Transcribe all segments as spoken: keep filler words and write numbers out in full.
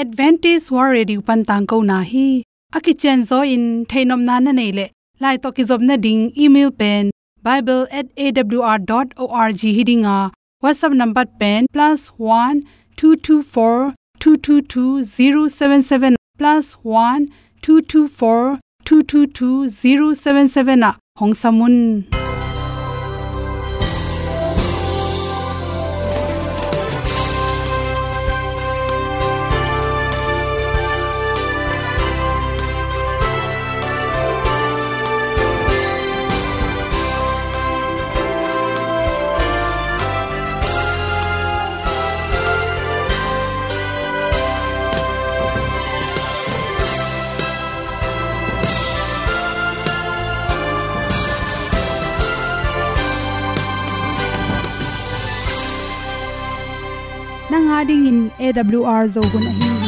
Adventist World Radio pan tangkona hi. A kicianzaw in theihnopna na neih leh, lai tawh kizopna ding email pen bible at A W R dot org hi ding a, WhatsApp number pen plus one two two four two two two zero seven seven, plus one two two four two two two zero seven seven ah hong sam un. Nang a dingin A W R Zo hun ahi hi.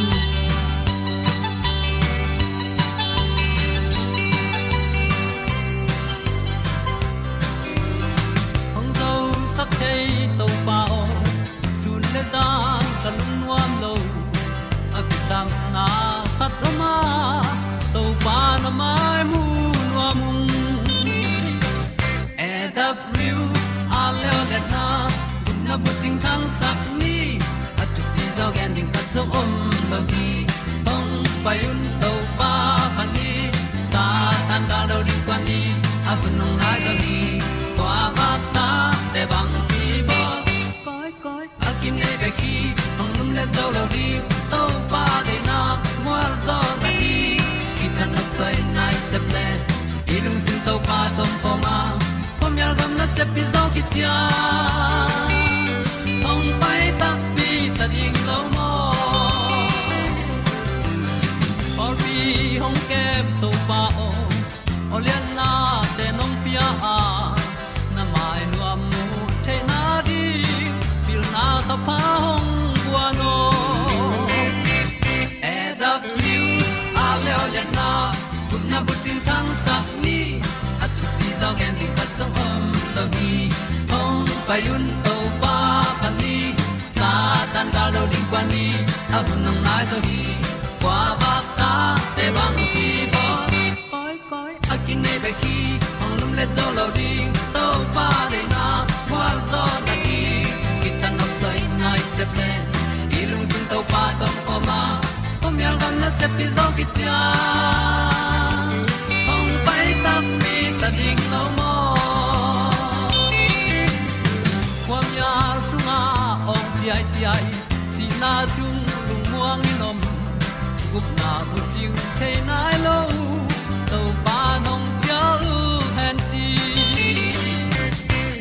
Hong zosak thei Topa aw, sun le zan ka lungnuam lo. A kisapna khat om a, Topa na mai mu nuam ung. A W R leo le na, gupna bucing thangsak ni. A thupi zaw gen ding khat zong om lo hi. Hong pai un Topa phat ni. Satan gal lo ding kuan ni. A hun hong nai zaw hi. Kua vak ta te bang hi bawl. Koi, koi, a kinei bek hi, hong lumlet zo lo ding. Topa deihna mual zaw na hi. Kithat nopsai nai sep le, i lungsim Topa tawh om khawm a, khuamial gam nasep hi zaw khit ciang, hong pai takpi ta ding lo maw. Pawlpi hong kem Topa aw, awlianna te nong pia a, na mai nuam mu theihna ding, pilna thapha hong guan aw. A W R leo le na, gupna bucing thangsak ni. A thupi zaw gen ding khat zong om lo hi. Hong pai un Topa phat ni. Satan gal lo ding kuan ni. A hun hong nai zaw hi. Kua vak ta te bang hi bawl. Koi, koi, a kinei bek hi, hong lumlet zo lo ding. Topa deihna mual zaw na hi. Kithat nopsai nai sep le, i lungsim Topa tawh om khawm a, khuamial gam nasep hi zaw khit ciang, hong pai takpi ta ding lo maw. Khuamial sungah awng ciaiciai, sihna sung lungmuang in om, gupna bucing thei nai lo, Topa nong cial hen ci.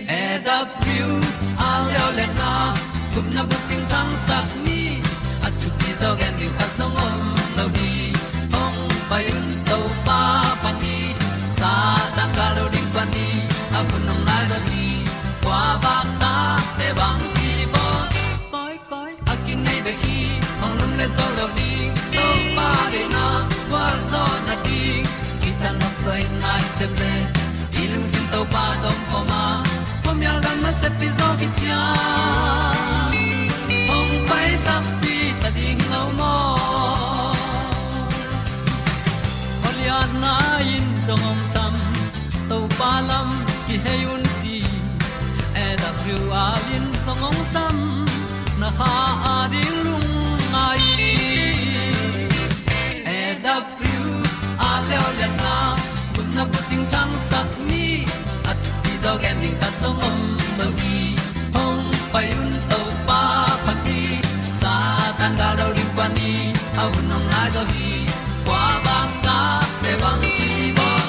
A W R leo le na, gupna bucing thangsak ni. A thupi zaw gen ding khat zong om lo hi. Hong pai un Topa phat ni. Satan gal lo ding kuan ni. A hun hong nai zaw hi. Kua vak ta te bang hi bawl. Koi, koi, a kinei bek hi, hong lumlet zo lo ding. Topa deihna gualzawhna ding, kithat nopsai nai sep le, i lungsim Topa tawh om khawm a, khuamial gam nasep hi zaw khit ciang, hong pai takpi ta ding lo maw. Awlianna in zong hong sam, Topa lam kihei un ci. A W R in zong hong sam, na kha a ding lungngai. A W R leo liatna, gupna bucing thangsak ni. A thupi zaw gen ding khat zong om lo hi. Hong pai un Topa phat ni. Satan gal lo ding kuan ni, a hun hong nai zaw hi. Kua bang ta te bang hi bawl.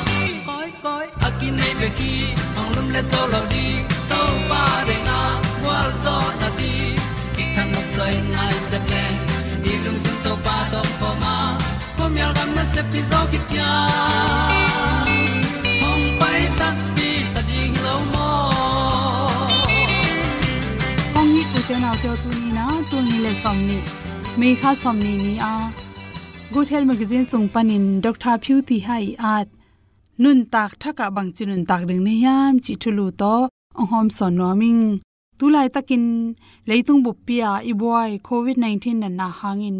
Koi koi a kinei bek hi, hong lumlet zo lo ding. Topa deihna gualzawhna ding, kithat nopsai nai sep le, i lungsim Topa tawh om khawm a, khuamial gam nasep hi zaw khit ciang, hong pai takpi ta ding lo maw. Kong it u te nau te aw, tuni in a, tul nih le sawmnih, May kha sawmnih ni a, Good Health Magazine sung panin Doctor Phyu Thi Hai ii at nuntak thak ah bangci nuntak ding na hiam cih thulu tawh hong hawmsawn nuam ing. Tu laitakin leitung buppi-a i buai covid nineteen natna hangin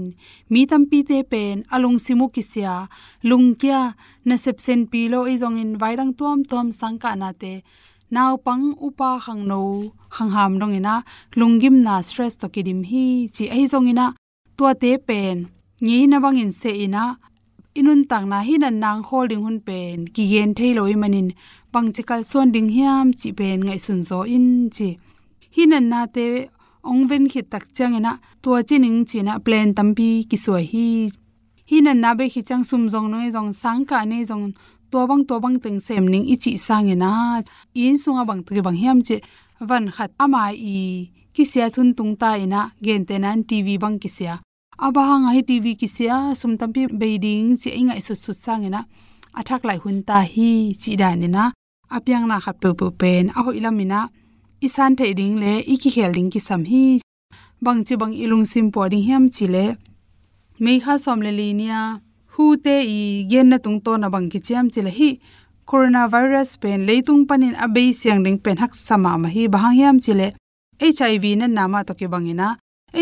mi tampite pen a lungsim uh kisia, lungkia, nasep senpi lo, ahi zongin vaidang tuamtuam sangkahnate, naupang, upa, khangno, khangham dongin ah lunggimna, stress tawh kidim hi ci. Ahi zongin ah tuate pen ngeina bangin seh in ah, i nuntakna hih natna hong khawl ding hun pen kigen thei lo ahih manin bangci kalsuan ding hiam cih pen ngaihsun zaw in ci. Hih natnate hong ven khit tak ciangin ah tua ci ning ci-in ah plan tampi kisuai hi. Hih natna bei khit ciang sum zong, nong ei zong, sangkah nei zong, tua bang tua bang teng sem ning i cih sangin ah, i inn sungah bang tawh kibang hiam cih, van khat ama i kisia thun tung ta in ah, gentehna in T V bang kisia. A bang hang a hih T V kisia, sum tampi bei ding cih i ngaihsutsut sangin ah, a thak laih hun ta hi cih danin ah, a piangna khat peuhpeuh pen a hoih lamin ah i san theih ding le i kikhel ding kisam hi. Bangci bang i lungsim pua ding hiam cih leh, May kha sawm le li ni-a WHO-te i genna tungtawn ah bang kici hiam cih leh, hih coronavirus pen leitung panin a bei siang ding pen haksa mahmah hi. Bang hang hiam cih leh HIV natna mah tawh kibangin ah,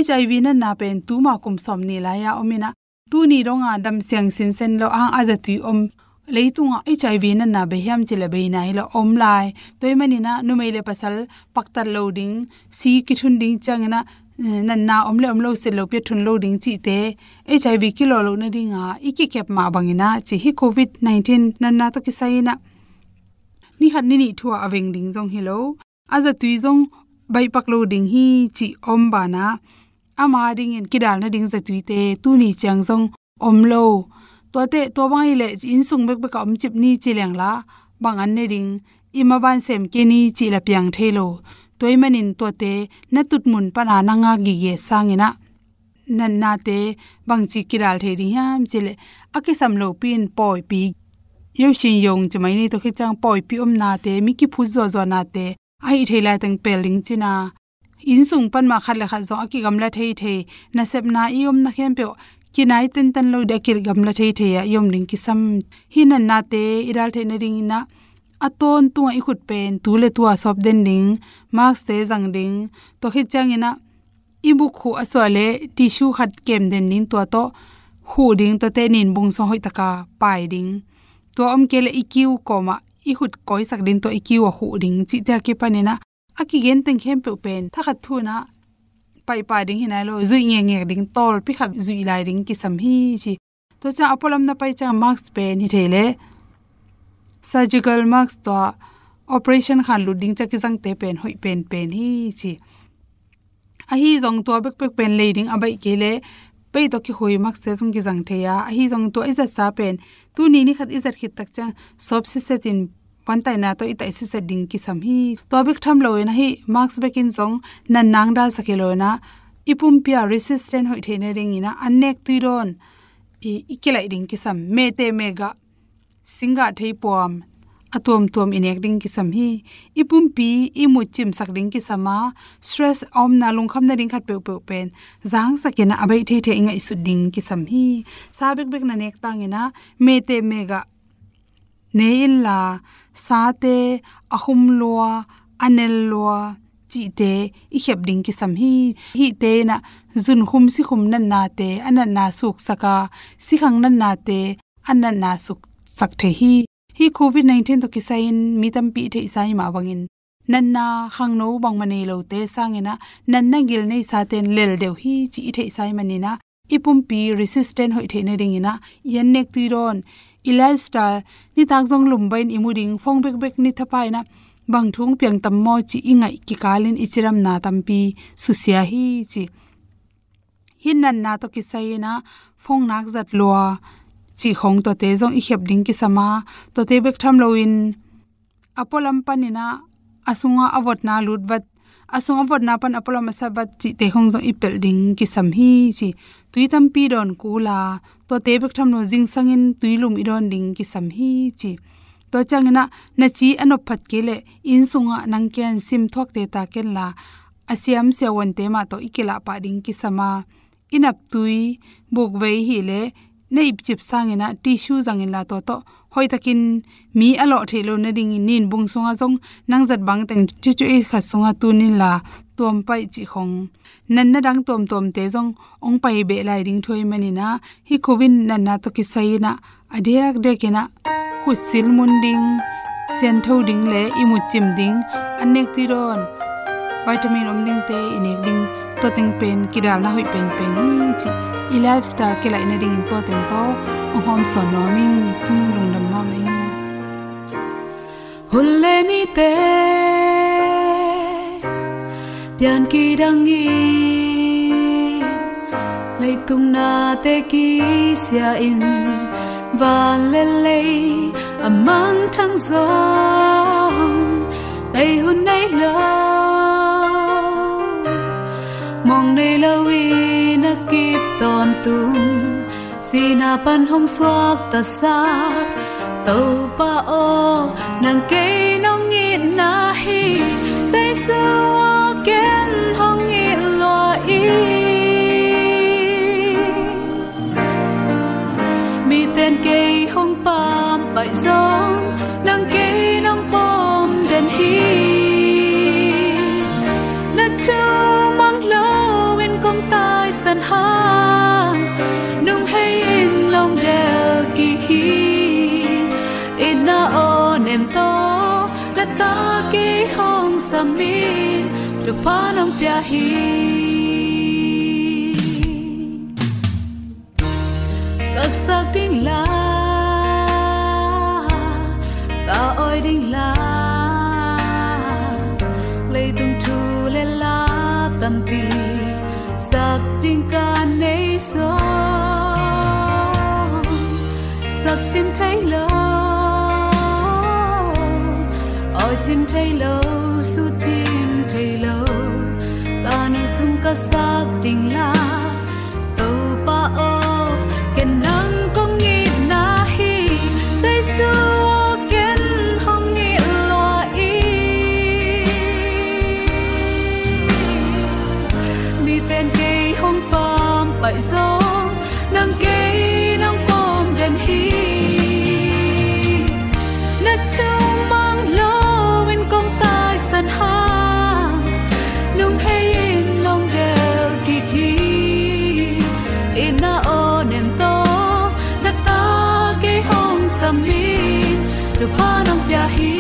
HIV natna pen tuma kum sawmnih lai-a om in ah, tuni dong a dam siang sinsen lo, a hang a zatui om leitungah HIV natna bei hiam cih leh bei nai lo, om lai. Tua ahih manin ah numei le pasal paktat lo ding, si kithun ding ciangin ah, eh, natna om le om lo, set lopi-a thun lo ding cihte, HIV kilawh loh nading a i kikep mah bangin ah ci, hih covid nineteen natna tawh kisai in ah ni khat ni nih thu-a a veng ding zong hi lo, a zatui zong baihpak lo ding hi cih om banah, ama dingin kidal nading zatuite tuni ciang zong om lo. Tuate, tua bang ahih leh inn sung bekbek ah om cip ni ci leng la, bang an ne ding, i maban sem kei ni cih la piang thei lo. Tua ahih manin tuate na tutmun pana na ngak gige sangin ah, natnate bangci kidal thei ding hiam cih leh, a kisam lopi-in pawipi, yo shin yong ci mai ni, tua khit ciang pawipi omnate, mi kiphut zuahzuahnate, a hih thei laiteng pel ding cihna, inn sung pan mah khat le khat zong a kigamla theithei, nasepna i omna khempeuh kinai tentan lo ding, a kigamla theithei-a i om ding kisam. Hih natnate i dal theih nadingin ah, a tawntungah i khut pen tu le tu-a sawp den ding, mask-te zang ding, tua khit ciangin ah i buk khuh a suah leh tissue khat kem den ding, tua tawh khuh ding, tuate nin bung sung hoih taka pai ding. Tua om kei leh i kiu kawmah i khut kawisak ding, tua i kiu ah khuh ding cihte a kipanin ah, a kigen teng khempeuh pen thakhat thu-in ah paipah ding hi nai lo, zuih ngekngek ding, tawlpi khat zuih lai ding kisam hi ci. Tua ciang a pualam na pai ciang mask pen hi thei leh, surgical mask, tua operation khan lut ding ciang kizangte pen hoih penpen hi ci. Ahi zong tua bekbek pen lei ding a baih kei leh, pei tawh kikhui mask-te zong kizang thei a, ahi zong tua i zatsa pen tuni ni khat i zat khit tak ciang sawp sisetin, vantaina tawh i taih siset ding kisam hi. Tua bek tham loin ah, hih mask bekin zong natna hong dalsak hi loin ah, i pumpi-a resistant hoih theih nadingin ah, an nek tui dawn i, i kilaih ding kisam. Mehteh mehgah, singgah theipuam, a tuamtuam i nek ding kisam hi. I pumpi i mut cimsak ding kisam a, stress a omna, lungkham nading khat peuhpeuh pen zangsakin ah, a baih theithei i ngaihsut ding kisam hi. Sa bekbek na nek tangin ah, mehteh mehgah ne inla, sate a khum lua, a nel lua cihte i khep ding kisam hi. Hihte in ah zunkhum sikhum natnate, a natna suksak a, sikhang natnate a natna suksak thei hi. Hih covid nineteen tawh kisai-in mi tampi i theihsa hi mah bangin, natna khangno bangmah nei lote sangin ah, natna gil neisate in lel deuh hi cih i theihsa hi manin ah, i pumpi resistant hoih theih nadingin ah, i an nek tui dawn, i lifestyle, nitak zong lumbain i mu ding, phone bekbek ni thapa in ah, bang thu hong piang tam maw cih i ngaih kikalin i cidamna tampi susia hi ci. Hih natna tawh kisai-in ah, phone nak zat lua cih khong, tuate zong i khep ding kisam a, tuate bek tham loin, a pualam panin ah, a sungah a votna lut vat, a sungah a votna pan a pualam a sat vat cihte khong zong i pelh ding kisam hi ci. Tui tampi dawn kul a, tuate bek tham lo, zingsangin tui lum i dawn ding kisam hi ci. Tua ciangin ah, na ci a nop phat kei leh, inn sungah nang ken sim thuak teta ken la, a siam siavuante mah tawh i kilah pah ding kisam a, i naptui, bukvei hi leh, na ipcip sangin ah tissue zang inla, tua tawh hoihtakin mi a lawh theih loh nadingin nin bung sungah zong nang zat bangteng cucu ei khat sungah tun inla, tuam paih cih khong, natna dang tuamtuamte zong hong pai beh lai ding thu ahih manin ah, hih Covid natna tawh kisai in ah, a diakdiak in ah, khutsil mun ding, siangtho ding le ihmut cim ding, an nek tui dawn, vitamin om dingte i nek ding, tua teng pen kidalna hoih penpen hi cih, i lifestyle kilaih nadingin tua teng tawh hong hawmsawn nuam ing. Lungdam mahmah ing. Hun le nite pian kidang in, leitung nate kisia in, van le lei a mangthang zong, bei hun nei lo, mong nei lo in a kip tawntung, sihna pan hong suaktasak Topa aw, nang kei nong itna hi. Jesu aw, ken hong it lua ing. Miten kei hong pampaih zong, nang kei nong pom den hi. Na thu mang loin kong taisan hang, nung hei in long del kik hi. Itna aw nem tawh, na ta kei hong sam in, thupha nong pia hi. Ka sak ding la, ka awi ding la, leitung thu le la tampi sak ding ka nei zong, sak cim thei lo, awi cim thei lo, su cim thei lo, ka nu sung ka sak ding la. Topa aw, ken nang kong itna hi. Jesu aw, ken hong it lua ing. Miten kei hong pampaih zong, nang kei nong pom den hi. Na thu mang loin kong taisan hang, nung hei in long del kik hi. Itna aw nem tawh, na ta kei hong sam in, thupha nong pia hi.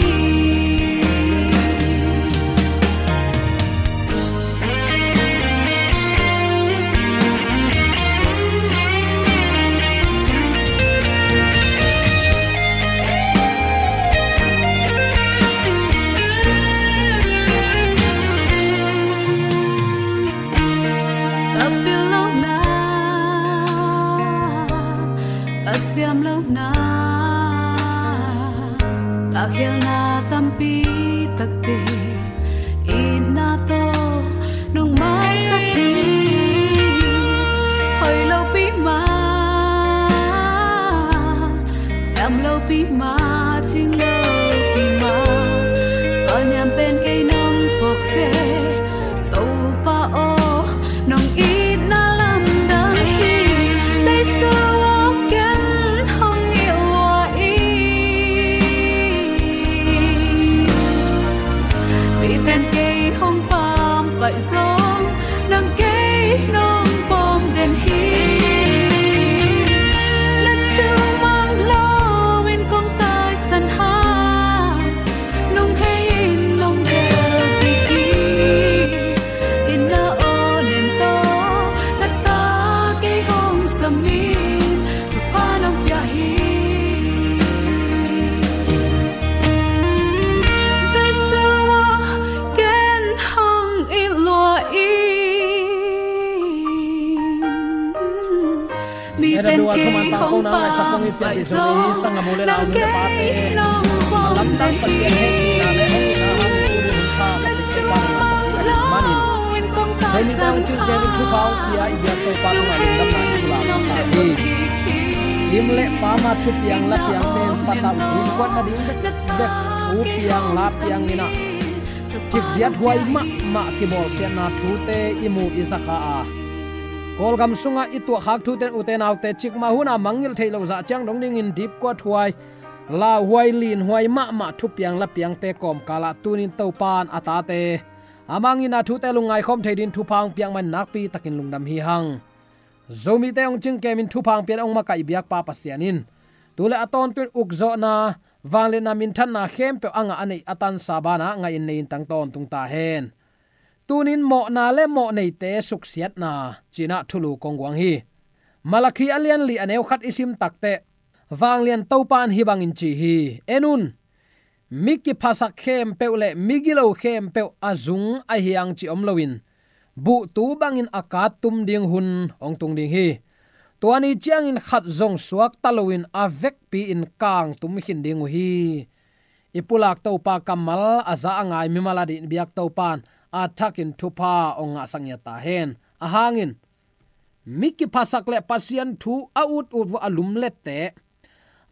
Ka pil lohna, ka siam lohna, ka khialna tampi takte, itna tawh nong maisak hi. Hoih lopi mah, siam lopi mah, cing lopi mah, ka niam pen kei nong phawk se. Topa aw, nong itna lamdang hi. Jesu aw, ken hong it lua ing. Miten kei hong pampaih zong, nang kei nong pom den hi. Na thu mang loin kong taisan hang, nung hei in long del kik hi. Itna aw nem tawh, na ta kei hong sam in, thupha nong pia hi. Jesu aw, ken hong it lua ing. Miten kei hong pampaih zong, nang kei nong pom den hi. Lamdang Pasian hehpihna le hong itna hang thu ding hun kha ka picing pa nang a sak manin, Zomi Tangcil David thupha hong pia i biak Topa tungah lungdamna i pulak masa hi. Lim le pama thupiang lapiang pen patauh ding kuatna ding bekbek thupiang lapiang in ah, cikziat huai mahmah kibawlsiatna thute i mu i zakha a, Kawlgam sungah i tuahkhak thute in ute naute cikmah hun a mangngilh theih loh zah ciang dong dingin dipkuat huai, lauhuai, linhuai mahmah thupiang lapiangte kawmkal ah tunin Topa in a tate Amah in a thute lungngai khawm thei dingin thupha hong piak man nakpi takin lungdam hi hang. Zomite hong cingkemin thupha hong piak hong makaih biakpa Pasian in tu le a tawntung ukzawhna, vangliatna, minthanna khempeuh a ngah a neih a tansa banah ngah in nei in tang tawntung ta hen. Tunin mawhna le mawhneite suksiatna ci-in ah thulu kong guang hi. Malakhi a lian li a neu khat i sim takteh, vanglian Topa in hih bangin ci hi. En un, mi kiphasak khempeuh le mi gilo khempeuh a zung ahi hang cih om loin, buhtu bangin a kat tum ding hun hong tung ding hi. Tua ni ciangin khat zong suakta loin a vekpi-in kangtum khin ding uh hi. I pulak Topa kammal a za a ngai mimal a dih biak Topa in a thakin thupha hong ngahsak ngiat ta hen. A hangin mi kiphasak le Pasian thu a ut ut uh a lumlette,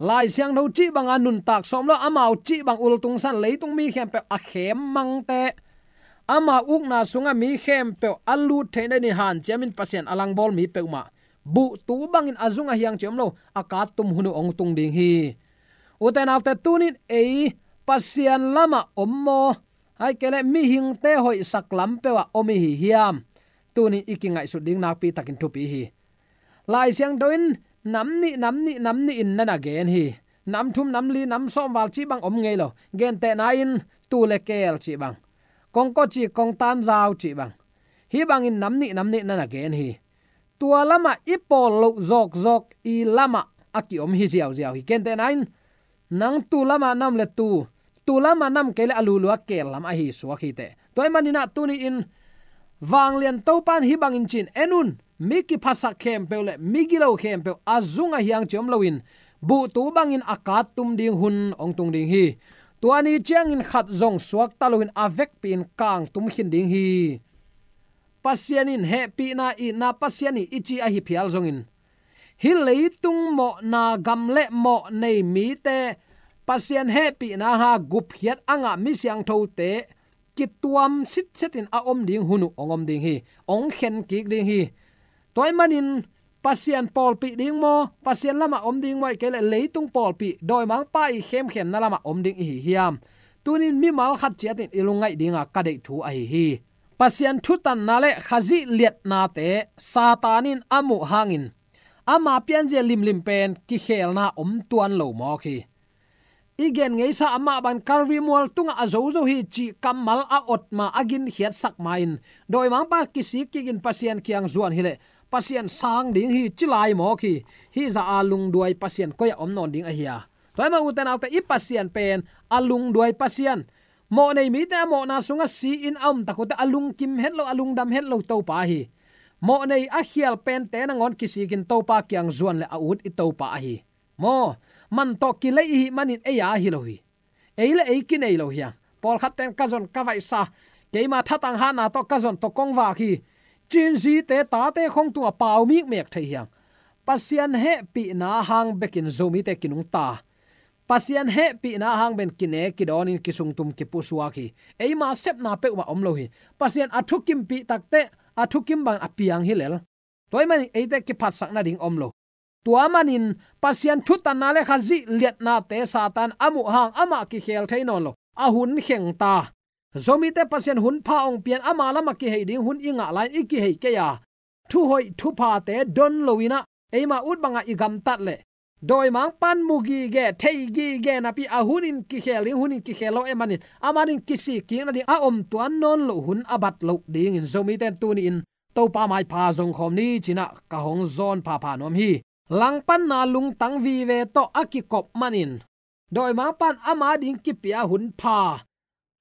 Lai Siangtho cih banga nuntak sawm lo, amau cih bang ultungsan, leitung mi khempeuh a khemmangte, amau ukna sunga mi khempeuh a lut theih nadingin hanciamin Pasian a langbawl mi peuhmah buhtu bangin a zung ahi hang cih om lo, a kat tum hun uh hong tung ding hi. Ute naute, tunin ei Pasian lamah om maw, ahih kei leh mihingte hoihsak lam peuhah om i hi hiam? Tunin i kingaihsut ding nakpi takin thupi hi. Lai Siangtho in nam nih, nam nih, nam nih in na na gen hi. Nam thum, nam li, nam sawm val cih bang om ngei lo. Gentehna in tuu le keel cih bang, kongkaw ci, kongtan zau cih bang, hih bangin nam nih, nam nih na na gen hi. Tua lamah i pawl loh zawkzawk i lamah a kiom hi ziauziau hi. Gentehna in nang tuu lamah na om le tuu, tuu lamah na om kei leh a lulua keel lam ahi suak hi teh. Tua ahih manin ah tuni-in vanglian Topa in hih bangin ci-in, en un, mi kiphasak khempeuh le mi gilo khempeuh a zung ahi hang cih om loin, buhtu bangin a kat tum ding hun hong tung ding hi. Tua ni ciangin khat zong suakta loin a vekpi-in kangtum khin ding hi. Pasian in hehpihna, itna Pasian hi i ci ahi phial zongin, hih leitung mawhna gam le mawh nei mite Pasian hehpihna hanga gupkhiat a ngah mi siangthote kituam sitsetin a om ding hun uh hong om ding hi. Hong khen kik ding hi. Tua ahih manin Pasian pawlpih ding maw, Pasian lamah om ding maw, ahih kei leh leitung pawlpih, dawimangpa i khemkhemna lamah om ding i hi hiam? Tunin mimal khat ciatin i lungngaih dinga ka deih thu ahi hi. Pasian thutanna le Khazih liatnate Satan in a muh hangin ama pianzia limlim pen kikhelna om tuan lo mawk hi. I gen ngeisa amah bang Kalvari mual tungah a zozo hi cih kammal a ot ma, a ginkhiatsak ma-in, dawimangpa kisik kikin Pasian kiang zuan hileh Pasian sang ding hi ci lai mawk hi. Hih zah a lungduai Pasian koi-ah om nawn ding ahi a? Tua ahih manin ute naute, i Pasian pen a lungduai Pasian. Mawh nei mite a mawhna sungah si-in a om tak uh teh a lungkim het lo, a lungdam het lo Topa ahi. Mawh nei a khial pente nangawn kisikin Topa kiang zuan le a ut i Topa ahi. Maw, man tawh kilei i hih manin ei a hi lo hi. Ei le ei kinei lo hi hang. Pawlkhat ten ka zon ka vaihsa, keima thatang hatna tawh ka zon tawh kong vak hi, ci-in zite tate khong tungah pau mikmek thei hi hang. Pasian hehpihna hang bekin Zomite kinungta. Pasian hehpihna hang ben kine kidawnin kisungtum kipusuak hi. Eima sepna peuhmah om lo hi. Pasian a thukimpih tak teh a thukim bangin a piang hi lel. Tua ahih manin eite kiphatsak nading om lo. Tua manin Pasian thutanna le Khazih liatnate Satan a muh hang amah kikhel thei nawn lo. A hun kheng ta. Zomite Pasian hun pha hong pia-in ama lamah kihei ding hun i ngah lai-in i kihei kei a, thuhoih thuphate don lo-in ah, eima ut bangah i gamtat leh, dawimangpa'n mu gige, thei gige napi a hunin kikhel ding, hunin kikhel lo ahih manin, a manin kisik kik nading a om tuan nawn loh hun a bat loh dingin Zomite'n tuni-in Topa maipha zong khawm ni ci-in ah ka hong zawn phapha nuam hi. Langpanna lungtang vive tawh a kikop manin, dawimangpa'n ama ding kipia hun pha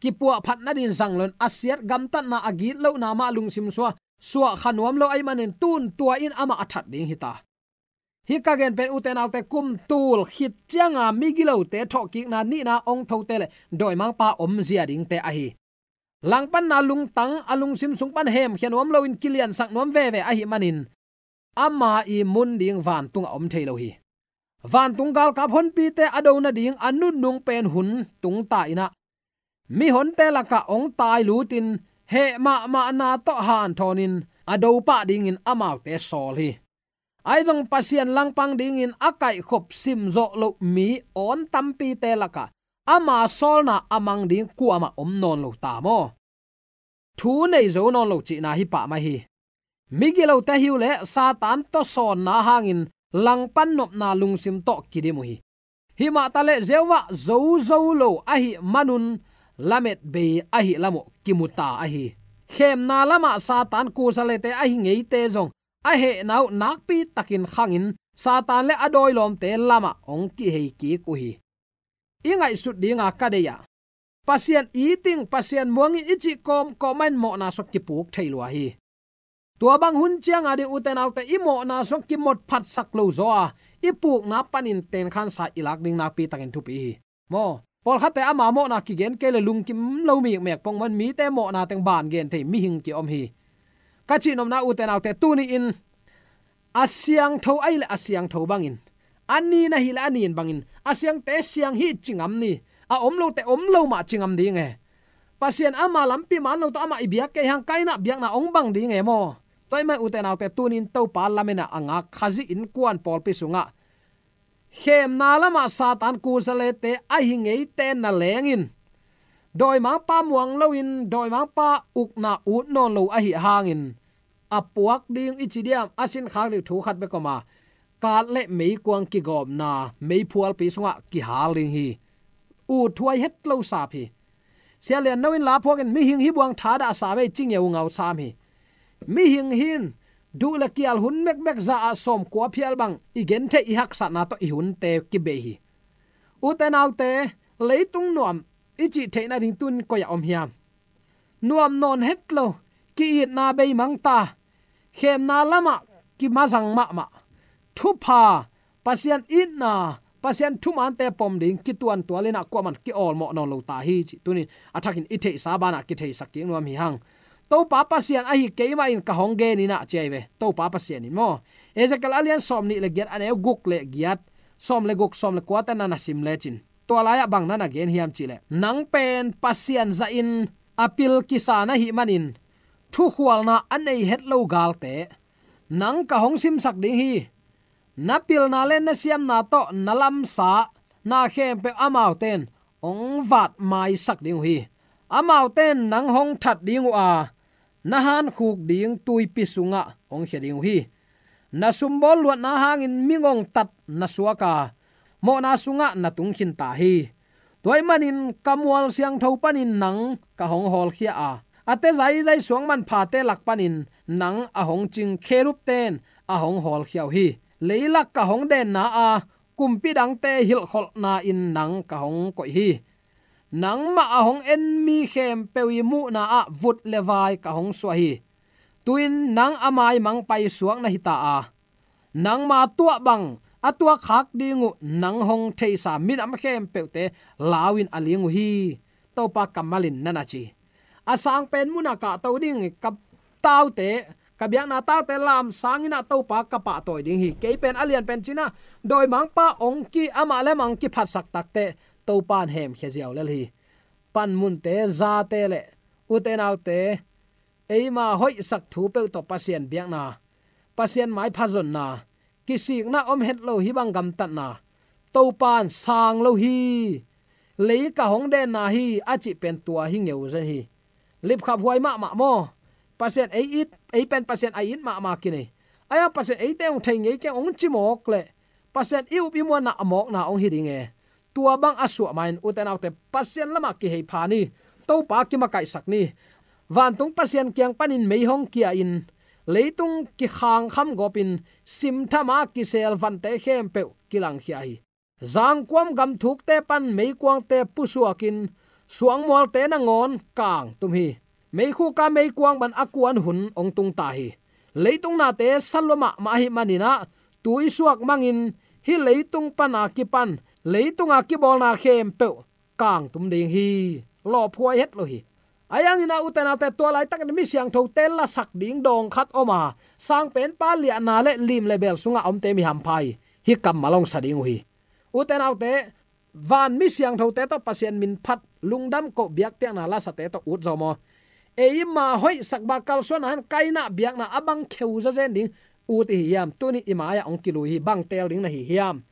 kipuahphat nading zang lo-in, a siat gamtatna, a gitlohna mah lungsim sua, suah kha nuam lo ahih manin, tun tua in amah a that ding hi ta. Hih ka gen pen ute naute, kum tul khit cianga migilote thawhkikna nihna hong thote le dawimangpa omzia dingte ahi. Langpanna lungtang a lungsim sung pan hemkhia nuam loin kiliansak nuam veve ahih manin, ama i mun ding vantungah om thei lo hi. Vantung galkap honpite a do nading a nunung pen hun tung ta-in ah, mihonte lakah hong tailutin, heh mahmahna tawh hanthawnin a dopah dingin amaute sawl hi. Ahi zong Pasian langpang dingin a kaihkhop simzawh loh mi awn tampite lakah ama sawlna a mang ding kuamah om nawn lo ta maw? thu nei zo nawn lo cihna hi pah mai hi. Migilote hi uh leh Satan tawsawnna hangin langpan nopna lungsim tawh kidim uh hi. Himah taleh Jehovah zo zo lo ahih manun lamet bei ahih lam uh kimu ta ahi. Khemna lamah Satan kusalete ahi ngeite zong a hehna uh nakpi takin khangin Satan le a dawilawmte lamah hong kihei kik uh hi. I ngaihsut dinga ka deih ah, Pasian iting, Pasian muangin i cih kawmkawm mahin mawhna sung kipuk thei lua hi. Tua bang hun cianga ding ute naute, i mawhna sung kimot phatsak lo zaw a, i pukna panin tenkhansa i lak ding nakpi takin thupi hi. Maw, pawlkhatte ama mawhna kigen kei le lungkim lo mikmek pongmawh in mite mawhna teng ban gen thei mihing kiom hi. Ka cihnopna ute naute, tuni-in a siangtho ahi le a siangtho bangin, a nin ahi le a nin bangin, a siangte siang hi ci ngam ni, a om lote om lo mah ci ngam ding e. Pasian ama lampi man lo tawh amah i biak kei hang, Kaina biakna hong bang ding e maw. Tua ahih manin ute naute, tuni-in Topa lametna a ngak Khazih innkuan pawlpi sungah khemna lamah Satan kusalete ahi ngeite na lengin, dawimangpa muang loin dawimangpa ukna ut nawn lo ahi hangin, a puak ding i ci diam, a sinkhak ding thu khat bek om a, kat le meikuang kigawmna meiphualpi sungah kihal ding hi. Ut thuai het lo sap hi. Sia Lian No in la phuakin mihing hi buang thadah sam ei ci ngeungau sam hi. Mihing hin duh le kial hun mekmek za ah sawmkua phial bang i gentheih i haksatna tawh i hunte kibei hi. Ute naute, leitung nuam i cih theihna ding tun koi ah om hiam? Nuam nawn het lo, ki-itna beimang ta, khemna lamah kimazang mahmah, thupha, Pasian itna, Pasian thumante pom ding kituantual in ah kuaman ki-awlmawh nawn lo ta hi cih tunin a thakin i theihsa banah kitheisak kik nuam hi hang. Topa Pasian ahi keimah in ka hong gen in ah ci ahi ve. Topa Pasian in maw. Ezekiel a lian sawmnih le giat, a neu guk le giat, sawm le guk, sawm le kuate na na sim lecin, tua lai-ah bang na na gen hiam cih leh, nang pen Pasian zahin a pil kisa na hih manin thukhualna a nei het lo galte nang ka hong simsak ding hi. Na pilna le na siamna tawh na lamsa na khempeuh amaute in hong vatmaisak ding uh hi. Amaute in nang hong that ding uh a, na hankhuk ding tuipi sungah hong khia ding uh hi. Na sumbawl luatna hangin mi ngongtat na suak a, mawhna sungah na tung khin ta hi. Tua ahih manin ka mual siangtho panin nang ka hong hawlkhia a, a te zaizai suang manphate lak panin nang a hong cing kherubte in a hong hawlkhia uh hi. Leilak ka hong denna a, kumpi dangte hilhkholhna in nang ka hong koih hi. Nangmah a hong en mi khempeuh i muhna ah vut le vai ka hong suah hi. Tu-in nang a maimang paisuak na hi ta a, nangma tuah bang a tuakkhak ding uh nang hong theisa minam khempeuhte lau in a ling uh hi. Topa kammal in na na ci. A sangpen munah kahto ding ka taute, ka biakna taute lamsang in ah Topa ka pahtawi ding hi. Kei pen a lianpen ci-in ah dawimangpa hong ki, amah le amah hong kiphatsak takteh Topa in hemkhia ziau lel hi. Panmunte, zate le ute naute, eima hoihsak thu peuh tawh Pasian biakna, Pasian maipha zonna, kisikna om het lo hih bang gamtatna Topa in sang lo hi. Lei ka hong denna hi a cih pen tua hi ngeu zen hi. Lipkhaphuai mahmah maw. Pasian ei it, ei pen Pasian a it mahmah kinei. Ahi hang Pasian eite hong thei ngei keng hong ci mawk leh Pasian i up i muanna a mawkna hong hi ding e. Tua bang a suah ma-in ute naute, Pasian lamah kihei pha ni. Topa kimakaihsak ni. Vantung Pasian kiang panin mei hong kia-in leitung kikhangkham gawpin simtham a kisel vante khempeuh kilangkhia hi. Zangkuam gamthukte pan meikuangte pusuakin suangmualte nangawn kangtum hi. Meikhuka meikuang bang a kuan hun hong tung ta hi. Leitung nate sa lua mahmah ahih manin ah tui suak mangin hih leitung pan a kipan leitunga kibawlna khempeuh kangtum ding hi. Lawphuai het lo hi. Ahi hangin ah ute naute, tua laitakin mi siangthote lasak ding dawng khat om a, sangpenpa liahna le lim le bel sungah omte mi hampha hi. Hih kammal hong sa ding uh hi. Ute naute, van mi siangthote tawh Pasian min phat, lungdam koh, biakpiakna lasate tawh ut zaw maw. Eima hoihsak bang kalsuanna han, Kaina biakna a bang kheu zawzen ding ut i hi hiam? Tuni i mai-ah hong kilui hi, bang teel ding na hi hiam?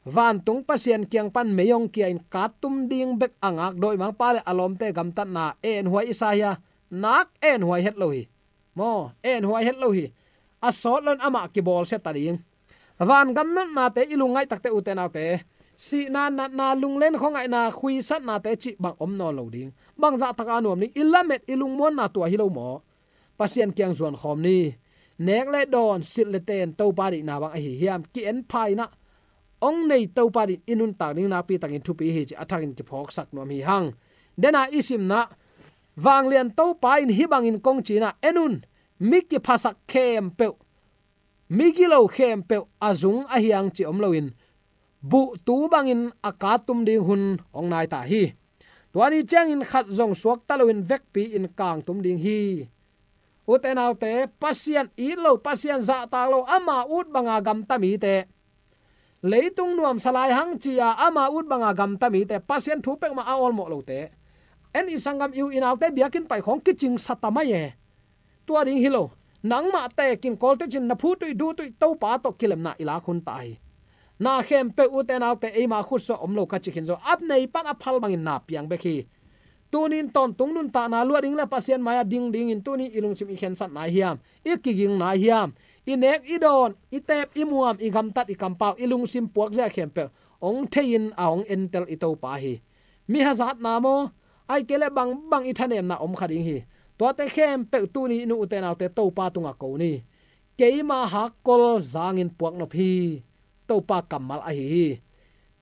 Vantung Pasian kiang pan mei hong kia-in kat tum ding bek a ngak dawimangpa le a lawmte gamtatna enhuai i sa hi a, nak enhuai het lo hi. Maw, enhuai het lo hi. A sawt loin amah kibawlsia ta ding. Vangam nuntaknate i lungngaih takte, ute naute, sihna, natna, lunglen khuangaihna, khuisatnate cih bang om nawn lo ding. Bang zahtak a nuam ding? I lamet, i lungmuanna tua hi lo maw? Pasian kiang zuan khawm ni. Nek le dawn, silh le ten, Topa deihna bang ahi hiam? Ki-en pha in ah, hong nei Topa deih i nuntak ding nakpi takin thupi hi cih a thakin kiphawksak nuam hi hang. Dena i simna, vanglian Topa in hih bangin kong ci in ah, en un, mi kiphasak khempeuh, mi gilo khempeuh a zung a hiang cih om loin, buhtu bangin a kangtum ding hun hong nai ta hi. Tua ni ciangin khat zong suakta loin vekpi-in kangtum ding hi. Ute naute, Pasian it lo, Pasian zahtak lo, ama ut banga gamta mite, leitung nuamsa lai hang ci-a ama ut banga gamta mite, Pasian thu peuhmah a awlmawh lote, en i sanggam, i u i naute biakinn pai khawng kicingsa ta mai e. Tua ding hi lo. Nangmah tekin Kawlte cin na phutuih duhtuih Topa tawh kilemna i lak hun ta hi. Na khempeuh, ute naute, eima khutsuah om lo ka ci khin zo. A nei pan a phal bangin na piang bek hi. Tunin tawntung nuntakna luah ding le Pasian mai-ah ding dingin tuni i lungsim i khensat nai hiam? I kiging nai hiam? I nek i dawn, i teep i muam, i gamtat i kampau, i lungsim puakzia khempeuh hong thei-in a hong entel i Topa hi. Mi hazatna maw, ahih kei leh bangbang i thanemna om kha ding hi. Tuate khempeuh tuni in, ute naute, Topa tungah ko ni. Keima hakkol zangin puaknop hi. Topa kammal ahi hi.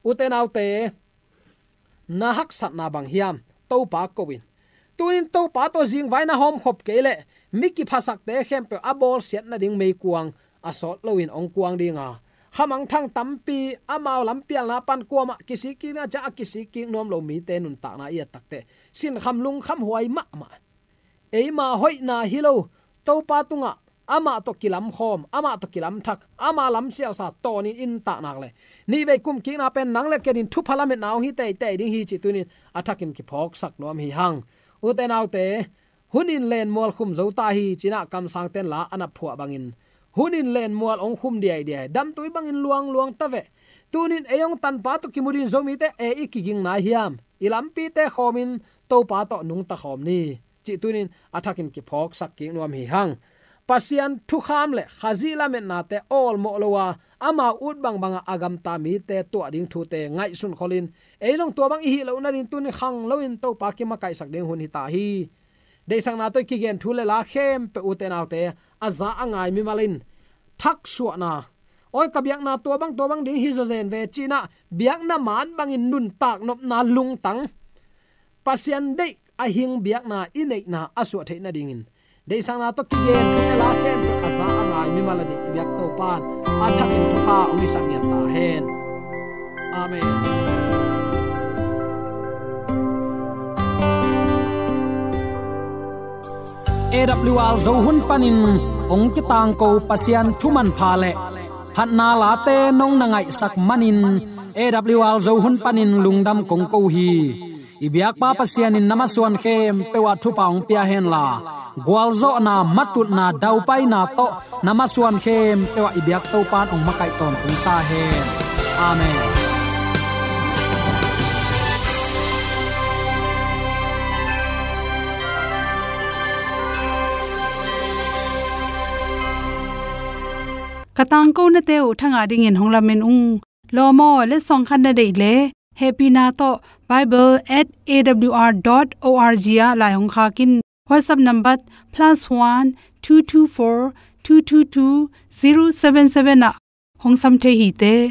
Ute naute, na haksatna bang hiam? Topa ko in. Tunin Topa tawh zingvai na hawmkhop kei leh mi kiphasakte khempeuh a bawlsiat nading meikuang a sawt loin hong kuang ding a, khamangthang tampi, amau lampialna pan kuamah kisik kik ding a, ciah a kisik kik nuam lo mite nuntakna i et takteh sinkham lungkham huai mahmah. Eima hoihna hi lo, Topa tungah amah tawh kilamkhawm, amah tawh kilamthak, ama lamsialsa tawnin i nuntakna leh nihvei kumkikna pen nang le kenin thupha lametna hong hi teitei ding hi cih tunin a thakin kiphawksak nuam hi hang. Ute naute, hun in lenmual khum zo ta hi, ci-in ah kamsangte'n la a na phuah bangin, hun in lenmual hong khum diaidiai, damtui bangin luangluang ta veh. Tunin ei hong tanpa tawh kimu ding Zomite, ei i kiging nai hiam? I lampite khawmin Topa tawh nungta khawm ni, cih tunin a thakin kiphawksak kik nuam hi hang. Pasian thukham le Khazih lametnate awlmawh lo a, amau ut bangbanga a gamta mite tuah ding thute ngaihsun kholin, ei zong tua bang i hih loh nading tunin khang loin Topa kimakaihsak ding hun hi ta hi. Deihsakna tawh i kigen thu le la khempeuh, ute naute, a za a ngai mimal in thaksuahna, awi, ka biakna tua bang tua bang ding hi zawzen ve, ci-in ah biakna man bangin nuntak nopna lungtang, Pasian deih a hing biakna i neihna a suah theih nadingin, deihsakna tawh kigen thu le la khempeuh a za a ngai mimal ading i biak Topa'n a thakin thupha hong hisak ngiat ta hen. Amen. A W R Zo hun panin hong kitangko Pasian thu manpha le phatna late nong na ngaihsak manin, A W R Zo hun panin lungdam kong ko hi. I biakpa Pasian in na masuan khempeuh ah thupha hong pia henla, gualzawhna, matutna, daupaina tawh na masuan khempeuh ah i biak Topa'n hong makaih tawntung ta hen. Amen. Ka tangkonate uh thangah dingin hong lamen ung. Lawm aw, letsong khat na deih leh, hehpihna tawh bible at A W R dot O R G ah lai hong khak in. WhatsApp number plus one two two four two two two zero seven seven ah hong sam thei hi te.